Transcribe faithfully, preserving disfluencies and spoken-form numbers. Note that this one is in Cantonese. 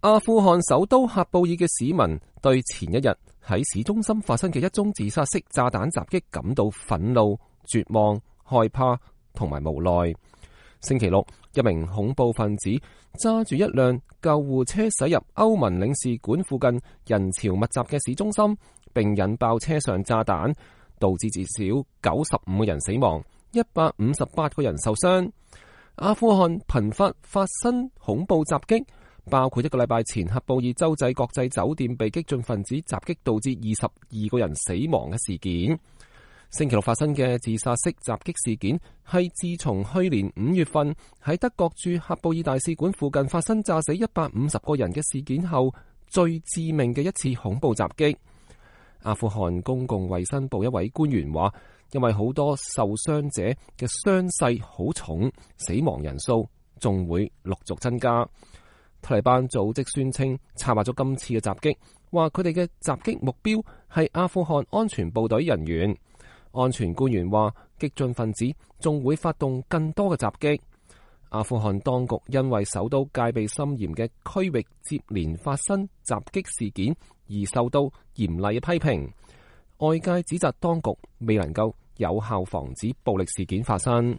阿富汗首都喀布爾嘅市民對前一日喺市中心發生嘅一宗自殺式炸彈襲擊感到憤怒、絕望、害怕同埋無奈。星期六，一名恐怖分子揸住一輛救護車駛入歐盟領事館附近人潮密集嘅市中心，並引爆車上炸彈，導致至少九十五個人死亡，一百五十八個人受傷。阿富汗頻發發生恐怖襲擊，包括一個禮拜前喀布爾洲際國際酒店被激進分子襲擊導致二十二個人死亡嘅事件。星期六發生嘅自殺式襲擊事件係自從去年五月份喺德國駐喀布爾大使館附近發生炸死一百五十個人嘅事件後最致命嘅一次恐怖襲擊。阿富汗公共衛生部一位官員話，因為好多受傷者嘅傷勢好重，死亡人數仲會陸續增加。塔利班組織宣稱策劃咗今次嘅襲擊，話佢哋嘅襲擊目標係阿富汗安全部隊人員。安全官員話，激進分子仲會發動更多嘅襲擊。阿富汗當局因為首都戒備森嚴嘅區域接連發生襲擊事件而受到嚴厲嘅批評。外界指責當局未能夠有效防止暴力事件發生。